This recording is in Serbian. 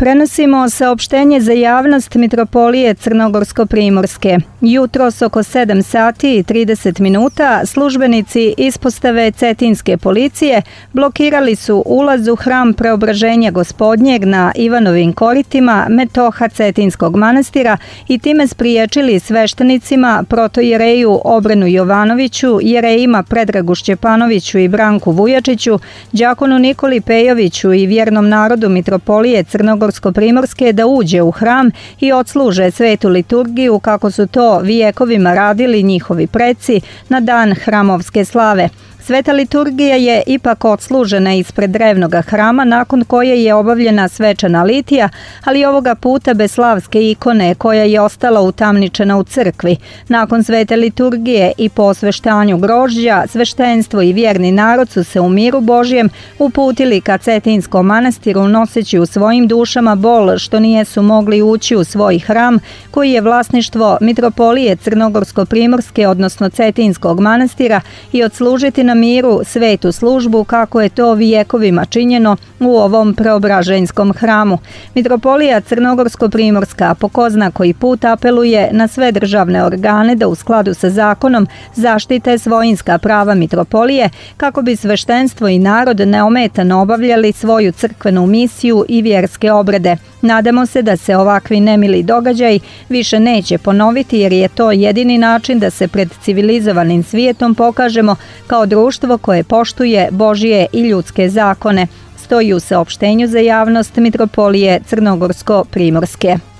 Prenosimo saopštenje za javnost Mitropolije Crnogorsko-Primorske. Jutros oko 7 sati i 30 minuta službenici ispostave Cetinske policije blokirali su ulaz u hram Preobraženja Gospodnjeg na Ivanovim koritima Metoha Cetinskog manastira i time spriječili sveštenicima protojereju Obrenu Jovanoviću, jerejima Predragu Šćepanoviću i Branku Vujačiću, đakonu Nikoli Pejoviću i vjernom narodu Mitropolije Crnogorsko-Primorske da uđe u hram i odsluže svetu liturgiju kako su to vijekovima radili njihovi preci na dan hramovske slave. Sveta liturgija je ipak odslužena ispred drevnog hrama, nakon koje je obavljena svečana litija, ali ovoga puta bez slavske ikone koja je ostala utamničena u crkvi. Nakon svete liturgije i po osveštanju grožđa, sveštenstvo i vjerni narod su se u miru Božjem uputili ka Cetinskom manastiru, noseći u svojim dušama bol što nijesu mogli ući u svoj hram, koji je vlasništvo Mitropolije Crnogorsko-Primorske, odnosno Cetinskog manastira, i odslužiti na miru svetu službu kako je to vijekovima činjeno u ovom preobraženjskom hramu. Mitropolija Crnogorsko-Primorska po ko zna koji put apeluje na sve državne organe da u skladu sa zakonom zaštite svojinska prava mitropolije kako bi sveštenstvo i narod neometano obavljali svoju crkvenu misiju i vjerske obrede. Nadamo se da se ovakvi nemili događaji više neće ponoviti, jer je to jedini način da se pred civilizovanim svijetom pokažemo kao društvo koje poštuje Božje i ljudske zakone, stoji u saopštenju za javnost Mitropolije Crnogorsko-Primorske.